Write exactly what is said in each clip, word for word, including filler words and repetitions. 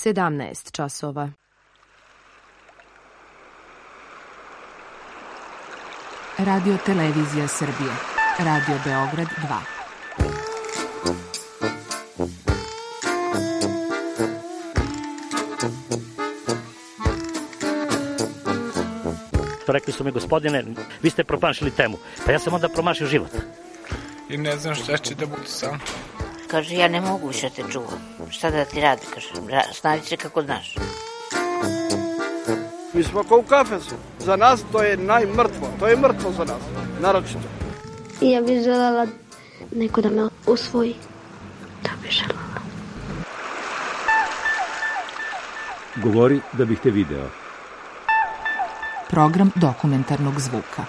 sedamnaest časova. Radio Televizija Srbije. Radio Beograd dva. Rekli su mi, gospodine, vi ste promašili temu. Pa ja sam onda promašio život. I ne znam šta će da bude sam. Kaže, ja ne mogu više te čuvam. Šta da ti radi, kaže, snađi se kako znaš. Mi smo kao u kafesu. Za nas to je najmrtvo. To je mrtvo za nas, naročito. Ja bih želela neko da me usvoji. Da bih želela. Govori da bih te video. Program dokumentarnog zvuka.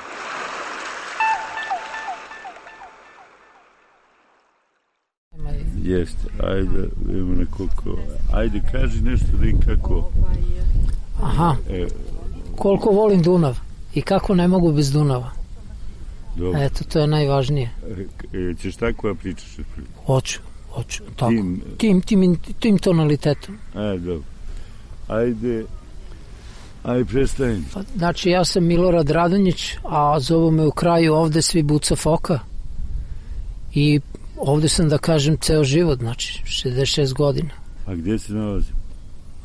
Jeste, ajde, imamo nekoliko, ajde kaži nešto da im kako. Aha, e, koliko volim Dunav i kako ne mogu bez Dunava. Dobro. Eto, to je najvažnije. E, ćeš tako da pričaš? Hoću, hoću, tako. Tim, tim, tim, tim tonalitetom. E, dobro. Ajde, ajde predstavim. Znači, ja sam Milorad Radonjić, a zovu me u kraju ovde svi Buca Foka. I ovde sam, da kažem, ceo život, znači šezdeset šest godina. A gdje se nalazimo?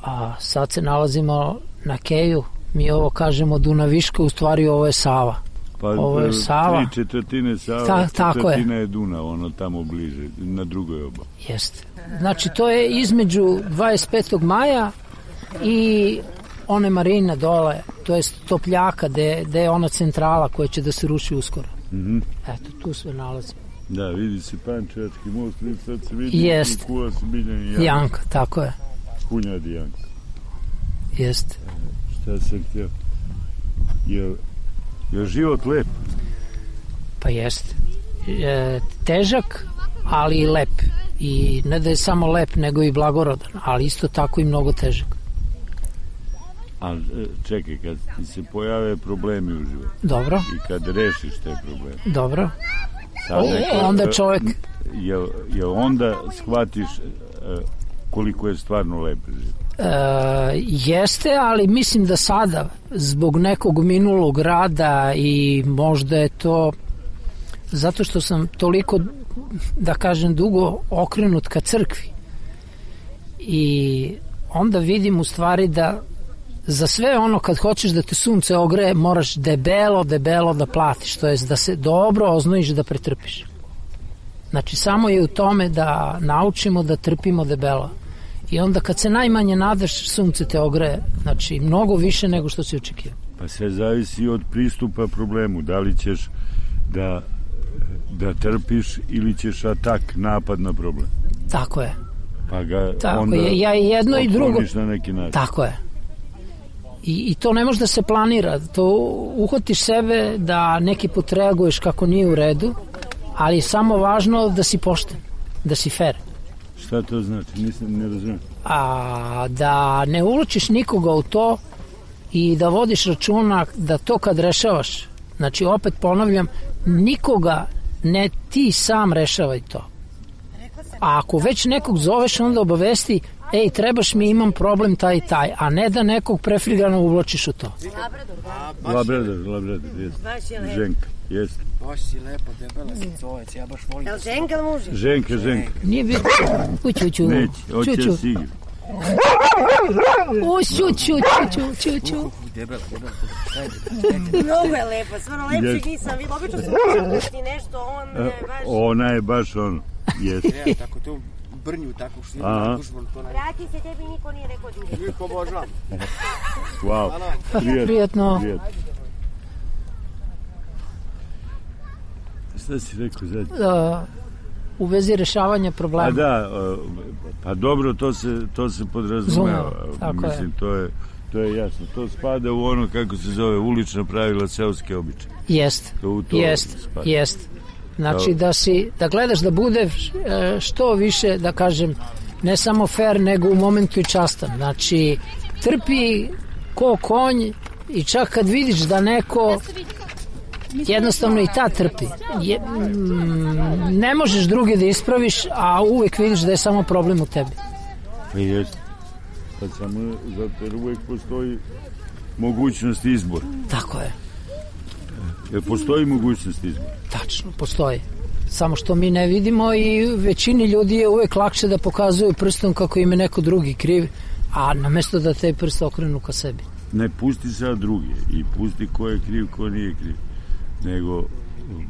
A sad se nalazimo na Keju, mi ovo kažemo Dunaviška, u stvari ovo je Sava. Pa ovo je Sava. Tri četvrtine Sava, Ta, četvrtina je. je Dunav, ono tamo bliže, na drugoj obali. Jeste. Znači, to je između dvadeset petog maja i one marine dole, to je Topljaka, gde, gde je ona centrala koja će da se ruši uskoro. Mm-hmm. Eto, tu sve nalazimo. Da, vidi se Pančevački most, sad se vidi Jest. Kuva se Biljani Janka. Janka, tako je. Hunjadi Janka. Jeste. Šta sam htio? Je, je život lep? Pa jeste. E, težak, ali i lep. I ne da je samo lep, nego i blagorodan, ali isto tako i mnogo težak. A čekaj, kad ti se pojave problemi u životu. Dobro. I kad rešiš te probleme. Dobro. Sad neko, onda čovjek... Je, je onda shvatiš uh, koliko je stvarno lep život? E, jeste, ali mislim da sada, zbog nekog minulog rada i možda je to zato što sam toliko, da kažem, dugo okrenut ka crkvi. I onda vidim u stvari da za sve ono kad hoćeš da te sunce ogreje, moraš debelo, debelo da platiš, to jest da se dobro oznojiš da pretrpiš. Znači, samo je u tome da naučimo da trpimo debelo. I onda kad se najmanje nadaš, sunce te ogreje. Znači, mnogo više nego što si očekio. Pa sve zavisi od pristupa problemu. Da li ćeš da, da trpiš ili ćeš atak, napad na problem. Tako je. Pa ga Tako onda je. Ja i jedno i drugo. Na neki način. Tako je. I, I to ne može da se planira. To uhvatiš sebe da neki put reaguješ kako nije u redu, ali je samo važno da si pošten, da si fair. Šta to znači? Nisam, ne razumijem. A, da ne uvlačiš nikoga u to i da vodiš računa da to kad rešavaš, znači opet ponavljam, nikoga ne ti sam rešavaj to. A ako već nekog zoveš, onda obavesti, ej, trebaš mi, imam problem taj i taj, a ne da nekog prefrigano uvlačiš u to. Labrador. Labrador, Labrador, jest. Ženka, jest. Baš si lepo, debela si covec, ja baš volim. Jel ženka ili muži? Ženka, ženka. Nije bilo. Uću, uću. Neće, hoće da si igra. Uću, uću, uću, uću, uću. Debela, debela. Mnogo je lepo, stvarno lepšeg nisam vidjela. Obično sam učiti nešto, on je baš... Ona je baš ono, jest. Ja, tako tu brnju, tako što Aha. Vrati se, tebi niko nije rekao dine. Niko obožavam. Wow, prijetno. Prijetno. Prijetno. Šta si rekao zadnje? Uh, u vezi rešavanja problema. A da, uh, pa dobro, to se, to se podrazumeva. Mislim, je. To, je, to je jasno. To spada u ono, kako se zove, ulična pravila, seoske običaje. Jest, jest, jest. Znači da si, da gledaš da bude što više, da kažem, ne samo fair, nego u momentu i častan. Znači, trpi ko konj i čak kad vidiš da neko jednostavno i ta trpi. Je, mm, ne možeš druge da ispraviš, a uvek vidiš da je samo problem u tebi. Pa jest. Pa samo zato jer uvek postoji mogućnost izbora. Tako je. Jer postoji mogućnost izbora? Tačno, postoji. Samo što mi ne vidimo i većini ljudi je uvek lakše da pokazuju prstom kako im je neko drugi kriv, a namjesto da te prste okrenu ka sebi. Ne pusti sad drugi i pusti ko je kriv, ko nije kriv, nego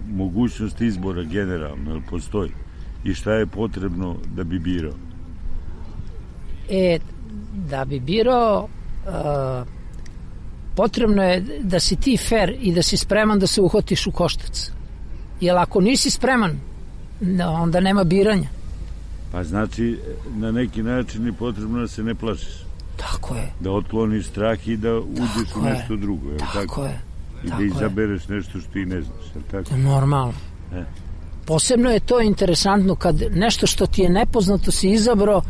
mogućnost izbora generalno, jer postoji. I šta je potrebno da bi birao? E, da bi birao, uh, potrebno je da si ti fer i da si spreman da se uhotiš u koštac. Jer ako nisi spreman, onda nema biranja. Pa znači, na neki način je potrebno da se ne plašiš. Tako je. Da otkloniš strah i da uđeš u nešto drugo. Je tako, tako je. I tako da izabereš nešto što ti ne znaš. Je tako? Normalno. E. Posebno je to interesantno kad nešto što ti je nepoznato si izabrao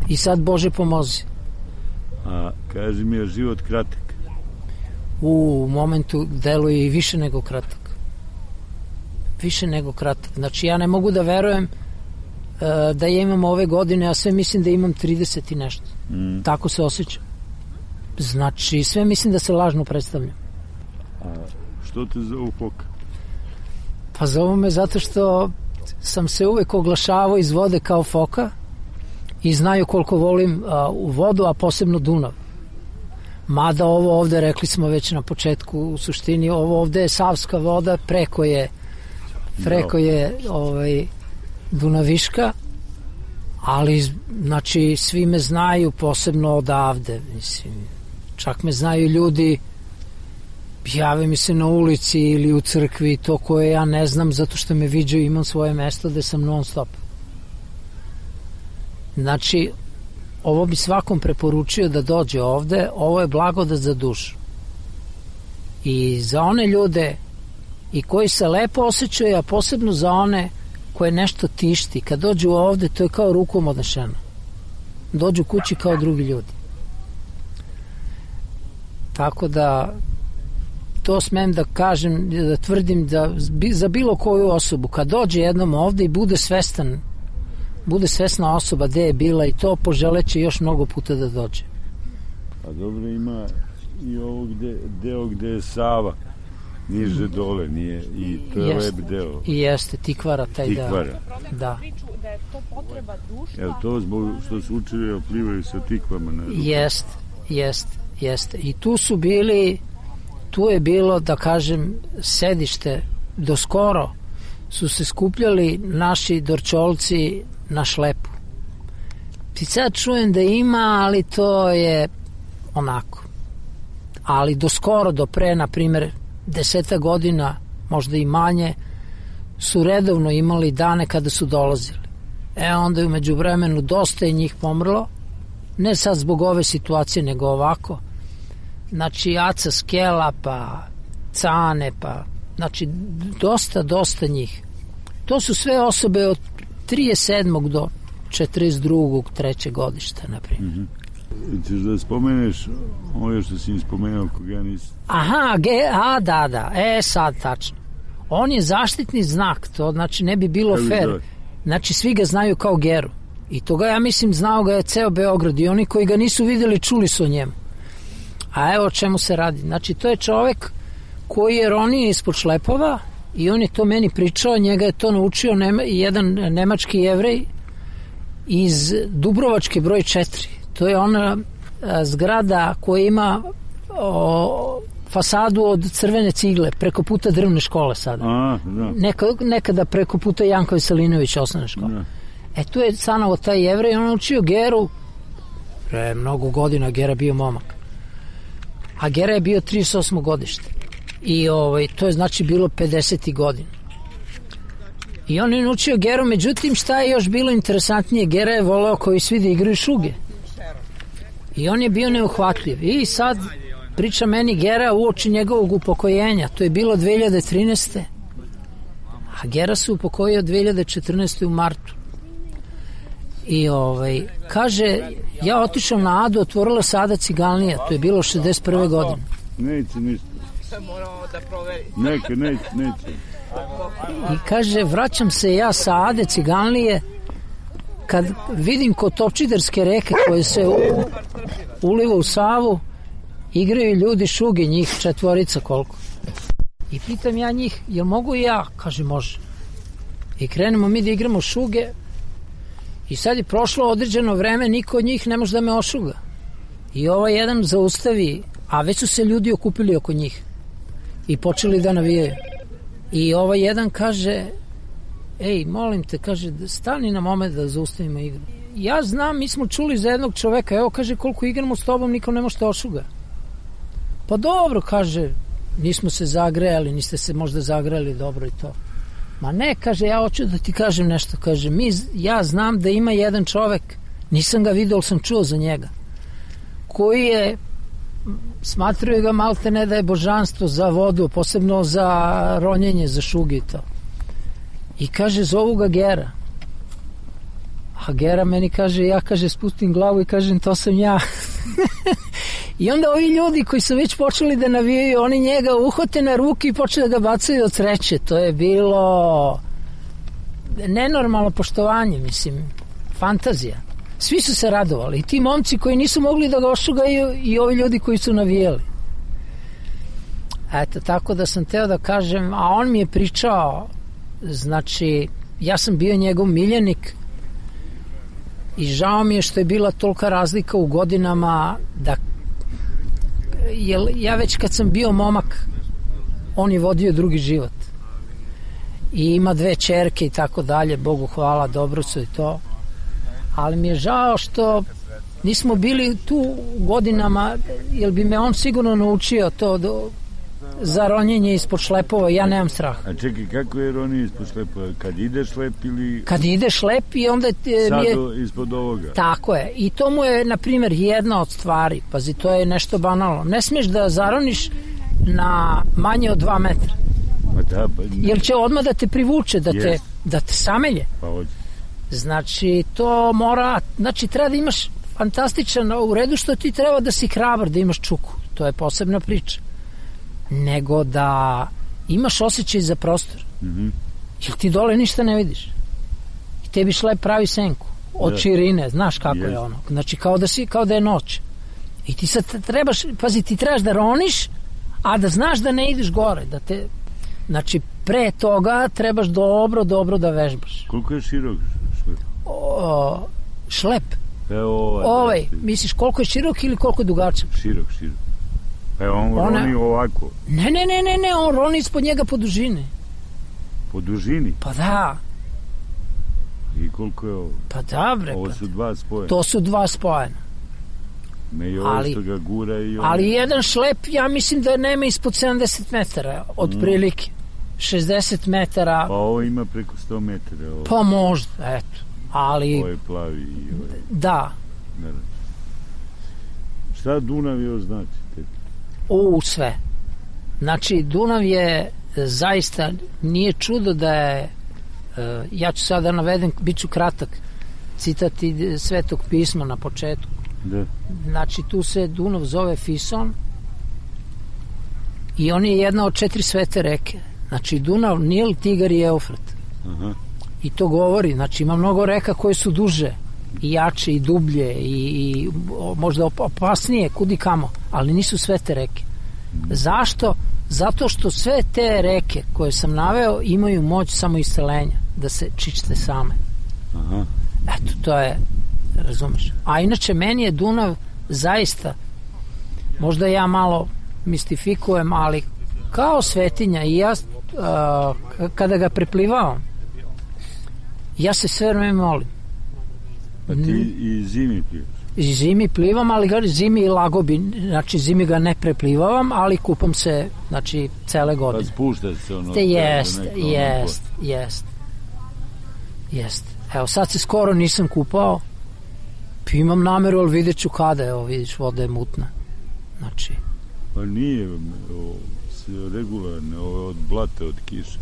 i sad Bože pomozi. A kaži mi, je život kratak? U momentu deluje i više nego kratak. Više nego kratak. Znači ja ne mogu da verujem uh, da ja imam ove godine, a sve mislim da imam trideset i nešto. Mm. Tako se osjećam. Znači sve mislim da se lažno predstavljam. A što te zovu Foka? Pa zovu me zato što sam se uvek oglašavao iz vode kao foka i znaju koliko volim uh, u vodu, a posebno Dunav. Mada ovo ovde, rekli smo već na početku, u suštini ovo ovde je Savska voda, preko je preko je ovaj, Dunaviška, ali znači svi me znaju posebno odavde, mislim, čak me znaju ljudi, jave mi se na ulici ili u crkvi, to koje ja ne znam zato što me viđaju, imam svoje mesto gde sam non stop. Znači ovo bi svakom preporučio da dođe ovde, ovo je blagodat za dušu i za one ljude i koji se lepo osjećaju, a posebno za one koje nešto tišti. Kad dođu ovde, to je kao rukom odnešeno. Dođu kući kao drugi ljudi. Tako da to smem da kažem, da tvrdim da za bilo koju osobu, kad dođe jednom ovde i bude svestan, bude svesna osoba gde je bila i to, poželeće još mnogo puta da dođe. A dobro, ima i ovo gde, deo gde je Sava niže dole, nije, i to je jeste, lep deo. I jeste, Tikvara, taj Tikvara. deo. Da. Da je to potreba društva. Je li to zbog što su učili oplivaju sa tikvama? Na jeste, jeste, jeste. I tu su bili, tu je bilo, da kažem, sedište, do skoro su se skupljali naši Dorčolci na šlepu. I sad čujem da ima, ali to je onako. Ali do skoro, do pre, na primjer, deseta godina, možda i manje, su redovno imali dane kada su dolazili. E onda je umeđu vremenu dosta je njih pomrlo, ne sad zbog ove situacije, nego ovako. Znači, Aca Skela, pa Cane, pa, znači, dosta, dosta njih. To su sve osobe od trideset sedmog do četrdeset drugog trećeg godišta, na primjer. Mm-hmm. Ćeš da spomeneš ovo što si im spomenuo koga ja nisam? Aha, ge, a da, da, e sad tačno. On je zaštitni znak, to znači ne bi bilo Kako fair. Zove? Znači svi ga znaju kao Geru. I toga ja mislim znao ga je ceo Beograd i oni koji ga nisu videli čuli su o njemu. A evo o čemu se radi. Znači to je čovek koji je ronio ispod šlepova i on je to meni pričao, njega je to naučio nema, jedan nemački Jevrej iz Dubrovačke broj četiri. To je ona a, zgrada koja ima o, fasadu od crvene cigle preko puta drvne škole sada. A, da. Neka, nekada preko puta Janko Veselinović osnovne škole. Da. E tu je stanovo taj Jevrej, on učio Geru pre mnogo godina, Gera bio momak. A Gera je bio trideset osmo godište. I ovaj, to je znači bilo pedeset godina. I on je naučio Geru, međutim šta je još bilo interesantnije, Gera je voleo koji svi da igraju šuge. I on je bio neuhvatljiv. I sad priča meni Gera uoči njegovog upokojenja. To je bilo dve hiljade trinaeste. A Gera se upokojio dve hiljade četrnaeste u martu. I ovaj, kaže, ja otišao na Adu, otvorila se Ada Ciganlija. To je bilo šezdeset prve godine. Neće ništa. Moramo da proveri. Neke, neće, neće. I kaže, vraćam se ja sa Ade Ciganlije kad vidim kod Topčiderske reke koje se u, uliva u Savu, igraju ljudi šuge, njih četvorica koliko. I pitam ja njih, jel mogu i ja? Kaže, može. I krenemo mi da igramo šuge i sad je prošlo određeno vreme, niko od njih ne može da me ošuga. I ovaj jedan zaustavi, a već su se ljudi okupili oko njih i počeli da navijaju. I ovaj jedan kaže, ej, molim te, kaže, stani na moment da zaustavimo igru. Ja znam, mi smo čuli za jednog čoveka, evo, kaže, koliko igramo s tobom, nikom ne možete ošuga. Pa dobro, kaže, nismo se zagrejali, niste se možda zagrejali dobro i to. Ma ne, kaže, ja hoću da ti kažem nešto, kaže, mi, ja znam da ima jedan čovek, nisam ga vidio, ali sam čuo za njega, koji je, smatraju ga malte ne da je božanstvo za vodu, posebno za ronjenje, za šuge i to. I kaže, zovu ga Gera. A Gera meni kaže, ja, kaže, spustim glavu i kažem, to sam ja. I onda ovi ljudi koji su već počeli da navijaju, oni njega uhote na ruki i počeli da ga bacaju od sreće. To je bilo nenormalno poštovanje, mislim, fantazija. Svi su se radovali. I ti momci koji nisu mogli da ga ošugaju i ovi ljudi koji su navijali. Eto, tako da sam teo da kažem, a on mi je pričao, znači, ja sam bio njegov miljenik i žao mi je što je bila tolika razlika u godinama da, jer ja već kad sam bio momak, on je vodio drugi život. I ima dve ćerke i tako dalje, Bogu hvala, dobro su i to. Ali mi je žao što nismo bili tu godinama, jer bi me on sigurno naučio to do, za ronjenje ispod šlepova, ja nemam strah. A čekaj, kako je ronjenje ispod šlepova? Kad ide šlep ili... Kad ide šlep i onda... Sad je, ispod ovoga? Tako je. I to mu je, na primjer, jedna od stvari. Pazi, to je nešto banalno. Ne smiješ da zaroniš na manje od dva metra. Pa da, pa... Jer će odmah da te privuče, da, te, da te samelje. Pa hoće. Znači, to mora, znači, treba da imaš fantastičan, u redu što ti treba da si hrabar, da imaš čuku, to je posebna priča, nego da imaš osjećaj za prostor. Mm-hmm. Jer ti dole ništa ne vidiš. I tebi šlep pravi senku, od da. Širine, znaš kako yes. je ono, znači, kao da, si, kao da je noć. I ti sad trebaš, pazi, ti trebaš da roniš, a da znaš da ne ideš gore, da te, znači, pre toga trebaš dobro, dobro da vežbaš. Koliko je širok šlep? O, šlep. Evo ovaj. Ovaj, misliš koliko je širok ili koliko je dugačak? Širok, širok. Pa on Ona... roni ovako. Ne, ne, ne, ne, ne, on roni ispod njega po dužini. Po dužini? Pa da. I koliko je ovo? Pa da, bre. Ovo su dva spojena. To su dva spojena. Me i ovo ali, što ga gura i ovo. Ali jedan šlep, ja mislim da nema ispod sedamdeset metara, od mm. prilike. šezdeset metara. Pa ovo ima preko sto metara. Ovo. Pa možda, eto. Ali... Ovo je plavi i ovo je... Da. Ne, ne. Šta Dunav je označi? U, sve. Znači, Dunav je zaista, nije čudo da je, ja ću sada navedem, bit ću kratak, citat Svetog pisma na početku. Da. Znači, tu se Dunav zove Fison i on je jedna od četiri svete reke. Znači, Dunav, Nil, Tigar i Eufrat. Aha. I to govori, znači, ima mnogo reka koje su duže i jače i dublje i, i možda opasnije kudi kamo, ali nisu sve te reke. Zašto? Zato što sve te reke koje sam naveo imaju moć samoisceljenja, da se čište same. Aha. Eto, to je, razumeš. A inače, meni je Dunav zaista, možda ja malo mistifikujem, ali kao svetinja i ja uh, kada ga preplivavam, ja se sve vreme molim. Pa ti i zimi plivaš? I zimi plivam, ali ga zimi i lagobi, znači zimi ga ne preplivavam, ali kupam se, znači, cele godine. Pa spušta se ono? Te jest, jest, jest. Jest. Evo, sad se skoro nisam kupao, pa imam nameru, ali vidjet ću kada, evo, vidiš, voda je mutna. Znači... Pa nije, o, regularne, ovo od blata, od kiše.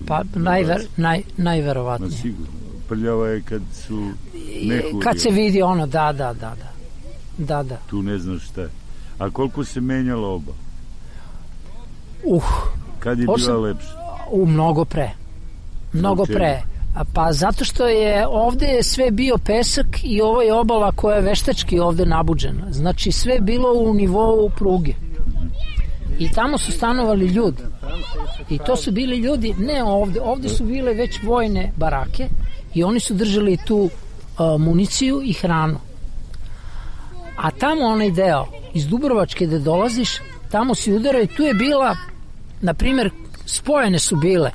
Pa najver, naj, najverovatnije. Ma sigurno. Prljava je kad su mehuri. Kad se vidi ono, da, da, da, da. Da, da. Tu ne znaš šta je. A koliko se menjala oba? Uh. Kad je bila lepša? U mnogo pre. Mnogo pre. A pa zato što je ovde sve bio pesak i ovo je obala koja je veštački ovde nabuđena. Znači sve je bilo u nivou pruge. I tamo su stanovali ljudi. I to su bili ljudi, ne ovde, ovde su bile već vojne barake i oni su držali tu uh, municiju i hranu. A tamo onaj deo, iz Dubrovačke gde dolaziš, tamo si udarao i tu je bila, na primjer, spojene su bile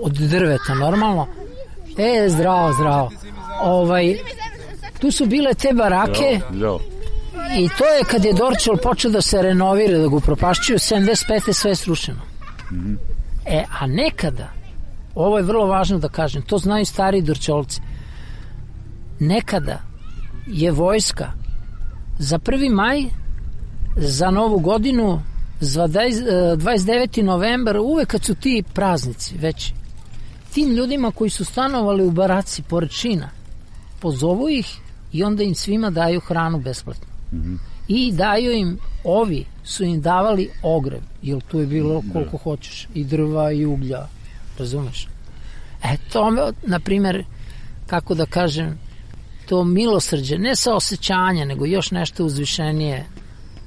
od drveta, normalno. E, zdravo, zdravo. Ovaj, tu su bile te barake i to je kad je Dorćol počeo da se renovira, da ga upropašćuju, sedamdeset pete sve je srušeno. Mm-hmm. E, a nekada, ovo je vrlo važno da kažem, to znaju stari Dorćolci, nekada je vojska za prvi maj, za novu godinu, za dvadeset deveti novembar, uvek kad su ti praznici veći, tim ljudima koji su stanovali u baraci pored šina, pozovu ih i onda im svima daju hranu besplatno. Mm-hmm. I daju im, ovi su im davali ogrev, jer tu je bilo koliko hoćeš, i drva i uglja, razumeš? E to, na primjer, kako da kažem, to milosrđe, ne sa osjećanja, nego još nešto uzvišenije,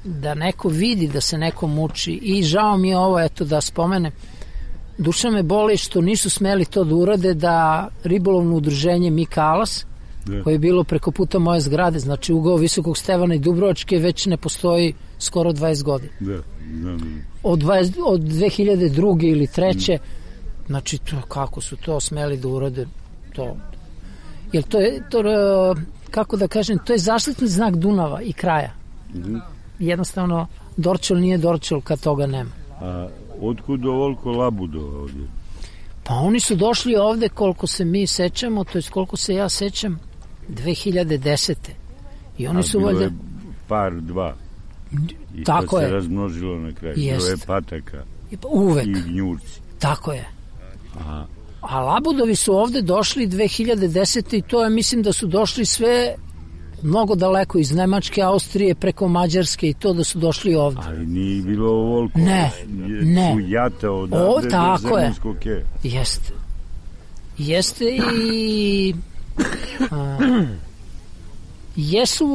da neko vidi da se neko muči. I žao mi je ovo, eto da spomenem, duša me boli što nisu smeli to da urade, da ribolovno udruženje Mikalas, yeah. koje je bilo preko puta moje zgrade, znači ugao Visokog Stevana i Dubrovačke, već ne postoji skoro dvadeset godina. Yeah. Yeah. Od, dvadeset, od dve hiljade druge ili treće mm. znači to, kako su to smeli da urade to. Jer to je, to, kako da kažem, to je zaštitni znak Dunava i kraja. Mm-hmm. Jednostavno, Dorćol nije Dorćol kad toga nema. A otkud ovoliko labudova ovdje? Pa oni su došli ovde, koliko se mi sećamo, to je koliko se ja sećam, dve hiljade desete. I oni A su bilo valjda... je par, dva. I tako to se je. razmnožilo na kraju. Jest. Bilo je pataka. Uvek. I gnjurci. Tako je. Aha. A labudovi su ovde došli dve hiljade desete. i to je, mislim da su došli sve mnogo daleko, iz Nemačke, Austrije, preko Mađarske i to da su došli ovde. Ali nije bilo ovoliko. Ne, je, ne. Su jata odavde o, tako do je. Ke. Jeste. Jeste i... A, jesu,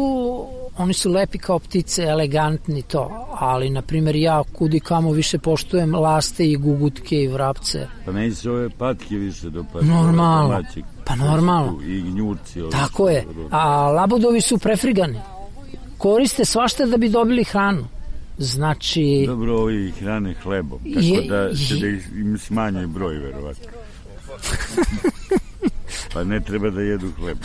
oni su lepi kao ptice, elegantni to, ali, na primjer, ja kudi kamo više poštujem laste i gugutke i vrapce. Pa meni se ove patke više dopadaju. Normalno, pa normalno. I gnjurci. Tako je, a labudovi su prefrigani. Koriste svašta da bi dobili hranu. Znači... Dobro, ovi hrane hlebom, tako je, da će da im smanjuje broj, verovatno. Pa ne treba da jedu hleb.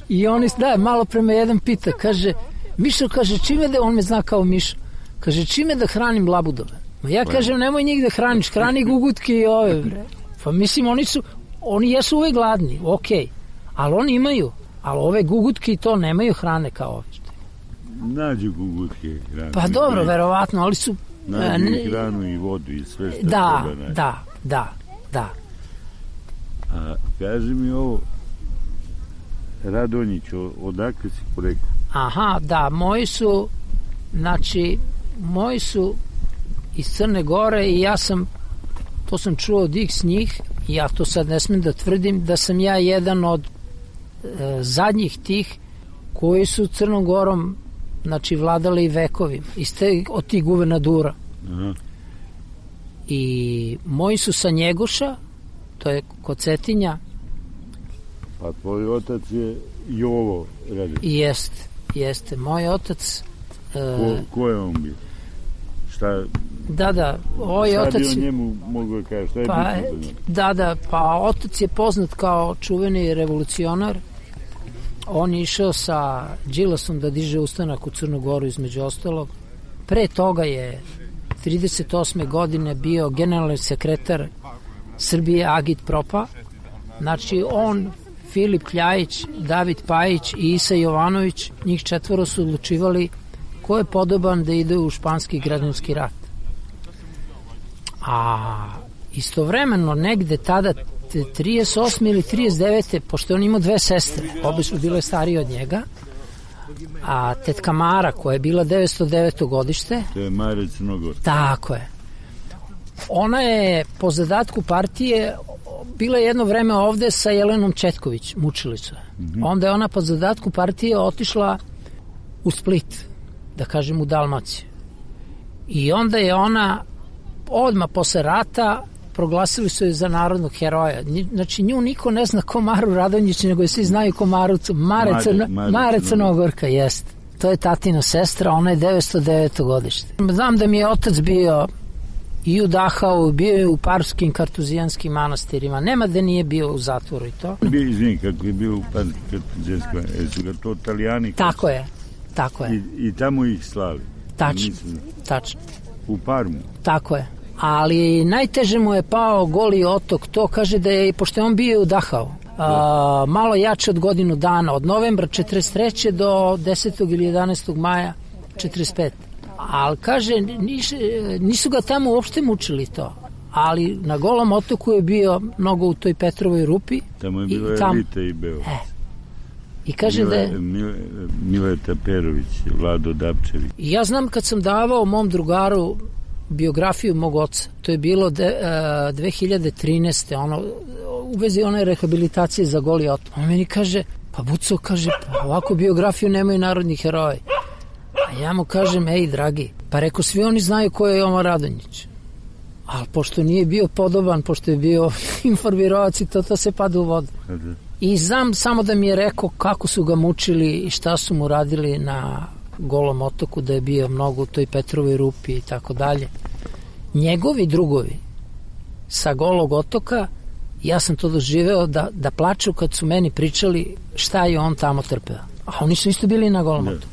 I oni, da, malo prema jedan pita, kaže, Mišo, kaže, čime da, on me zna kao Mišo, kaže, čime da hranim labudove? Ma ja pa kažem, nemoj njih da hraniš, hrani gugutke i ove, bre. Pa mislim, oni su, oni jesu uvek gladni, okej, okay. ali oni imaju, ali ove gugutke i to nemaju hrane kao ove. Nađu gugutke hrane. Pa dobro, verovatno, ali su... Nađu i hranu i vodu i sve što da, treba naći. Da, da, da. A kaži mi ovo, Radonjić, odakle si porekao? Aha, da, moji su, znači, moji su iz Crne Gore i ja sam, to sam čuo od X njih, i ja to sad ne smem da tvrdim, da sam ja jedan od e, zadnjih tih koji su Crnom Gorom, znači, vladali vekovima, iste od tih guvernadura. Aha. I moji su sa Njegoša, to je kod Cetinja. Pa tvoj otac je Jovo Radonjić. Jeste, jeste. Moj otac... Ko, ko je on bio? Šta... Da, da, ovaj šta otac... Šta bi o njemu mogu da kažeš? Šta je pa, bitno za njemu? Da, da, pa otac je poznat kao čuveni revolucionar. On je išao sa Đilasom da diže ustanak u Crnu Goru, između ostalog. Pre toga je trideset osme godine bio generalni sekretar Srbije Agit Propa. Znači on, Filip Kljajić, David Pajić i Isa Jovanović, njih četvoro su odlučivali ko je podoban da ide u španski građanski rat. A istovremeno negde tada trideset osme ili trideset devete pošto on imao dve sestre, obe su bile starije od njega, a tetka Mara koja je bila devetsto deveto godište, to je Mare Crnogor, tako je, Ona je po zadatku partije bila jedno vreme ovde sa Jelenom Četković, mučilica. Mm-hmm. Onda je ona po zadatku partije otišla u Split, da kažem u Dalmaciju. I onda je ona odmah posle rata proglasili su je za narodnog heroja. Znači nju niko ne zna ko Maru Radonjić, nego je svi znaju ko Maru Mare, Mare, Crno, Mare, Mare Crnogorka, jest. To je tatina sestra, ona je devetsto deveto godište. Znam da mi je otac bio i u Dachau, bio je u Parskim kartuzijanskim manastirima. Nema da nije bio u zatvoru i to. Bio, izvini, kako je bio u Parskim kartuzijanskim manastirima, su ga to Italijani? Tako je, tako je. I, i tamo ih slavi? Tačno, Mislim, tačno. U Parmu? Tako je. Ali najteže mu je pao Goli otok, to kaže da je, pošto je on bio u Dachau, a, malo jače od godinu dana, od novembra četrdeset treće do desetog ili jedanaestog maja četrdeset pete. Ali kaže, nis, nisu ga tamo uopšte mučili to, ali na Golom otoku je bio mnogo u toj Petrovoj rupi. Tamo je bilo tam, Elite i Beovac. E, I kaže Mile, da je... Mile, Mileta Perović, Vlado Dapčević. I ja znam kad sam davao mom drugaru biografiju mog oca, to je bilo de, uh, dve hiljade trinaeste. Ono, u vezi one rehabilitacije za Goli otok. On meni kaže, pa Buco, kaže, pa ovako biografiju nemaju narodni heroji. A ja mu kažem, ej, dragi, pa reko, svi oni znaju ko je Jovan Radonjić. Ali pošto nije bio podoban, pošto je bio informirovac i to, to se pada u vodu. I znam samo da mi je rekao kako su ga mučili i šta su mu radili na Golom otoku, da je bio mnogo u toj Petrovoj rupi i tako dalje. Njegovi drugovi sa Golog otoka, ja sam to doživeo da, da plaču kad su meni pričali šta je on tamo trpeo. A oni su isto bili na Golom otoku.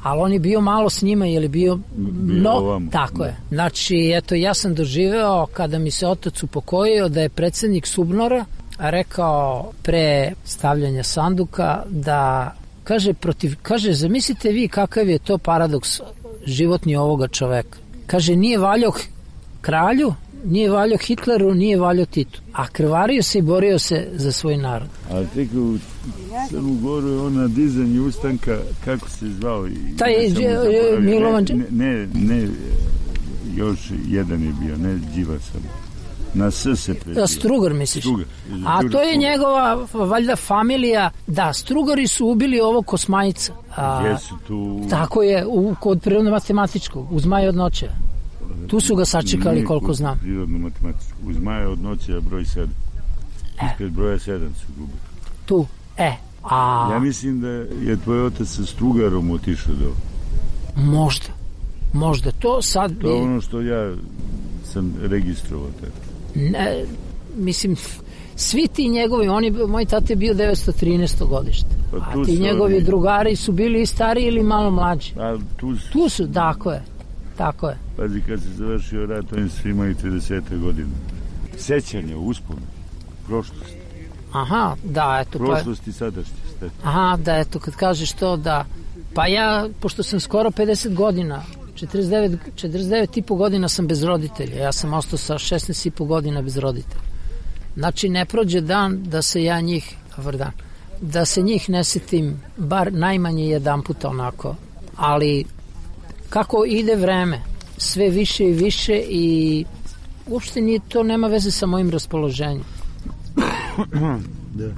Ali on je bio malo s njima, jer je bio... No, tako je. Znači, eto, ja sam doživeo kada mi se otac upokojio da je predsednik Subnora rekao pre stavljanja sanduka da, kaže, protiv, kaže, zamislite vi kakav je to paradoks životni ovoga čoveka. Kaže, nije valjao kralju, nije valjao Hitleru, nije valjao Titu, a krvario se i borio se za svoj narod. A tek u Crnu Goru je ona dizanje ustanka, kako se zvao? Taj je Milovan... Ne, ne, ne, još jedan je bio, ne Đivasov. Na S se prezio. Strugar, misliš? Strugar. A to je njegova, valjda, familija. Da, Strugari su ubili ovog Kosmajca. A, Jesu tu... Tako je, u, kod prirodno-matematičkog, uz Maja od noće. Tu su ga sačekali, ne, koliko znam. Prirodno-matematičkog. Uz Maja od noće, broj sedam. E. Ispred broja sedam su gubili. Tu, e. A... Ja mislim da je tvoj otac sa Strugarom otišao do... Možda. Možda. To sad... To je ono što ja sam registrovao tako. Ne, mislim, svi ti njegovi, oni, moj tata je bio devetsto trinaesto godište, pa a ti njegovi oni... drugari su bili stariji ili malo mlađi. A tu su... Tu su, tako je, tako je. Pazi, kad se završio rat, oni su imali trideset godina. Sećanje, uspomenu, prošlost. Aha, da, eto. Prošlost pa... i sadašnjost. Aha, da, eto, kad kažeš to, da. Pa ja, pošto sam skoro pedeset godina, četrdeset devet, četrdeset devet i po godina sam bez roditelja. Ja sam ostao sa šesnaest i po godina bez roditelja. Znači, ne prođe dan da se ja njih, dobar dan, da se njih ne setim bar najmanje jedan puta onako. Ali kako ide vreme, sve više i više i uopšte nije, to nema veze sa mojim raspoloženjem. Da.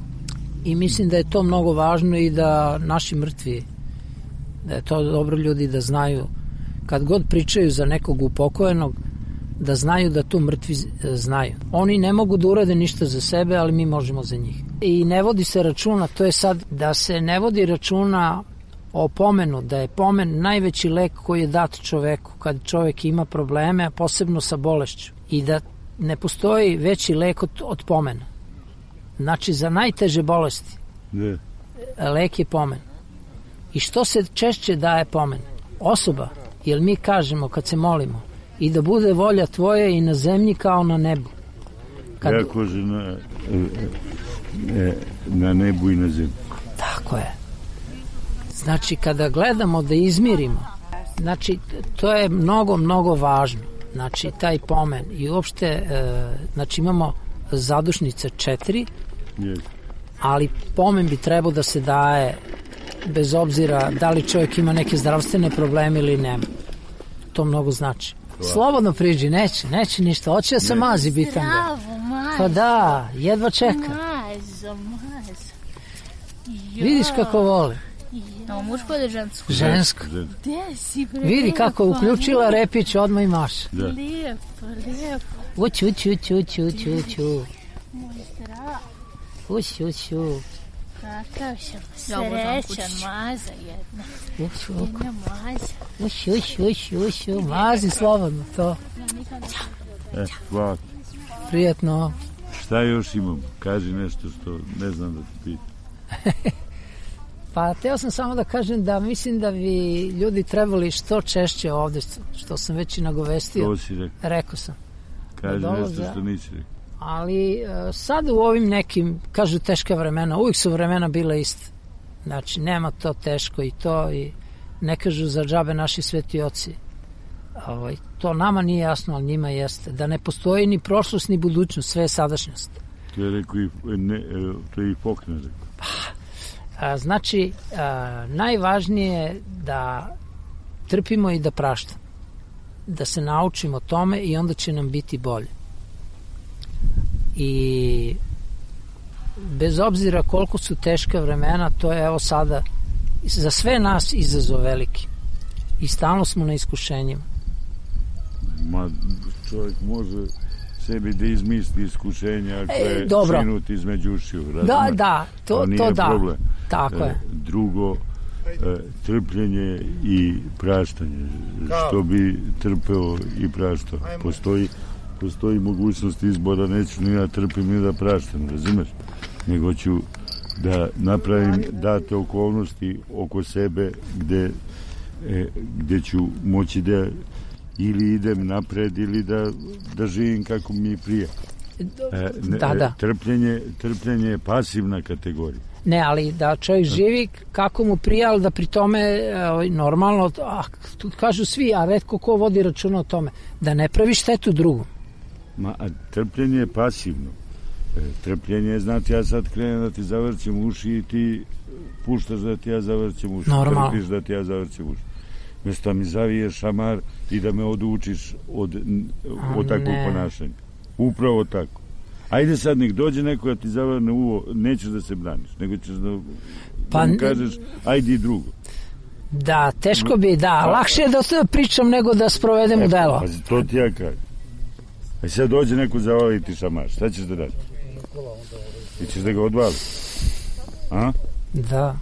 I mislim da je to mnogo važno i da naši mrtvi, da je to dobro ljudi da znaju, kad god pričaju za nekog upokojenog, da znaju da to mrtvi znaju. Oni ne mogu da urade ništa za sebe, ali mi možemo za njih. I ne vodi se računa, to je sad da se ne vodi računa o pomenu, da je pomen najveći lek koji je dat čoveku kad čovek ima probleme, a posebno sa bolešću. I da ne postoji veći lek od, od pomena. Znači, za najteže bolesti ne. Lek je pomen. I što se češće daje pomen? Osoba, jer mi kažemo kad se molimo i da bude volja tvoja i na zemlji kao na nebu. Kad... Ja kože na, na nebu i na zemlji. Tako je. Znači, kada gledamo da izmirimo, znači, to je mnogo, mnogo važno. Znači, taj pomen. I uopšte, e, znači, imamo zadušnice četiri, yes. Ali pomen bi trebao da se daje bez obzira da li čovjek ima neke zdravstvene probleme ili nema. To mnogo znači. Slobodno priđi, neće, neće ništa. Hoće da se ne. mazi bitanga. Bravo, mazo. Pa da, jedva čeka. Mazo, mazo. Jo. Vidiš kako vole. No, muško ili žensko? Žensko. Gde si, bre? Vidi kako je uključila repić, odmah i maša. Da. Lijepo, lijepo. Uću, uću, uću, uću, uću, uću. Moj zdrav. Uću, uću. Kakav sam srećan, maza jedna. Uću, uću. Jedna maza. Uću, uću, uću, uću. Mazi slobodno to. E, hvala. Prijetno. Šta još imam? Kaži nešto što ne znam da ti pitam. Pa, teo sam samo da kažem da mislim da bi ljudi trebali što češće ovde, što sam već i nagovestio. To si rekao. Rekao sam. Kaži da nešto što nisi rekao. Ali sad u ovim nekim, kažu teška vremena, uvijek su vremena bila iste. Znači, nema to teško i to, i ne kažu za džabe naši sveti oci. Ovaj, to nama nije jasno, ali njima jeste. Da ne postoji ni prošlost, ni budućnost, sve je sadašnjost. To je rekao i, ne, to je i Faulkner rekao. A, znači, a, najvažnije je da trpimo i da praštamo. Da se naučimo tome i onda će nam biti bolje. I bez obzira koliko su teška vremena, to je evo sada za sve nas izazov veliki. I stalno smo na iskušenjima. Ma, čovjek može sebi da izmisli iskušenja ako e, je dobro. sinut između ušiju. Da, da, to, to da. Problem. Tako e, je. Drugo, e, trpljenje i praštanje. Što bi trpeo i praštao. Postoji, postoji mogućnost izbora, neću ni ja trpim ni da praštam, razumeš? Nego ću da napravim date okolnosti oko sebe gde, e, gde ću moći da ili idem napred ili da, da živim kako mi prije. E, ne, da, da. Trpljenje, trpljenje je pasivna kategorija. Ne, ali da čovjek živi kako mu prija, ali da pri tome e, normalno, a, tu kažu svi, a retko ko vodi računa o tome, da ne pravi štetu drugom. Ma, a trpljenje je pasivno. E, trpljenje je, znati, ja sad krenem da ti zavrćem uši i ti puštaš da ti ja zavrćem uši. Normalno. Trpiš da ti ja zavrćem uši. Mjesto mi zaviješ šamar i da me odučiš od, od takvog ne. ponašanja. Upravo tako. Ajde sad, nek dođe neko da ti zavrne uvo, nećeš da se braniš, nego ćeš da, pa, da mu kažeš, ajde i drugo. Da, teško bi, da, pa, lakše je da to pričam nego da sprovedem u delo. Pa, to ti ja kažem. A sad dođe neko zavaliti šamar, šta ćeš da radi? Ti ćeš da ga odvali? A? Da.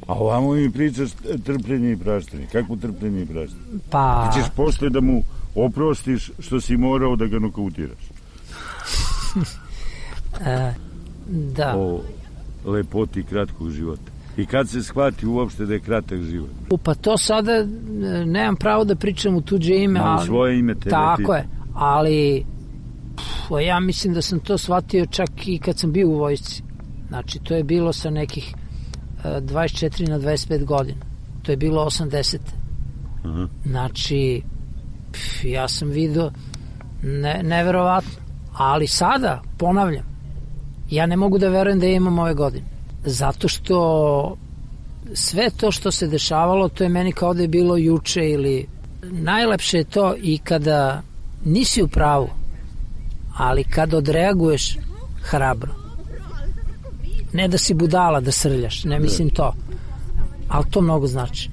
A ovamo mi pričaš trpljenje i praštanje. Kako trpljenje i praštanje? Pa... Ti ćeš posle da mu oprostiš što si morao da ga nokautiraš. e, da. O lepoti kratkog života. I kad se shvati uopšte da je kratak život? Pa to sada nemam pravo da pričam u tuđe ime. Ali, ali, svoje ime te tako je, ali pff, ja mislim da sam to shvatio čak i kad sam bio u vojsci. Znači, to je bilo sa nekih dvadeset četiri na dvadeset pet godina. To je bilo osamdeset. Aha. Znači, pf, ja sam vidio ne, neverovatno. Ali sada, ponavljam, ja ne mogu da verujem da ja imam ove godine. Zato što sve to što se dešavalo, to je meni kao da je bilo juče ili najlepše je to i kada nisi u pravu, ali kada odreaguješ hrabro. Ne da si budala, da srljaš, ne mislim to. Ali to mnogo znači.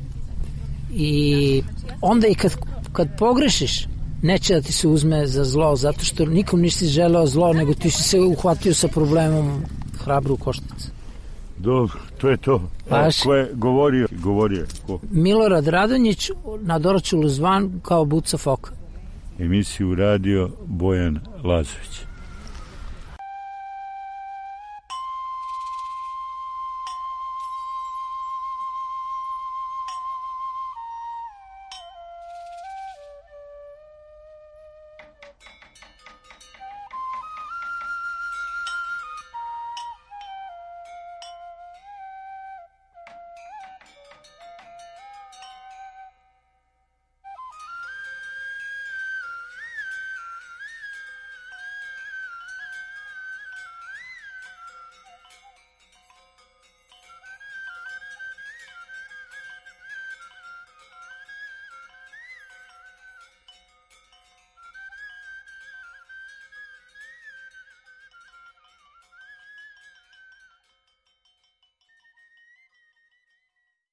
I onda i kad, kad pogrešiš, neće da ti se uzme za zlo, zato što nikom nisi želeo zlo, nego ti si se uhvatio sa problemom hrabro u koštac. Dobro, to je to. A ko je govorio? Govorio ko? Milorad Radonjić, na Doročulu zvan kao Buca Foka. Emisiju radio Bojan Lazović.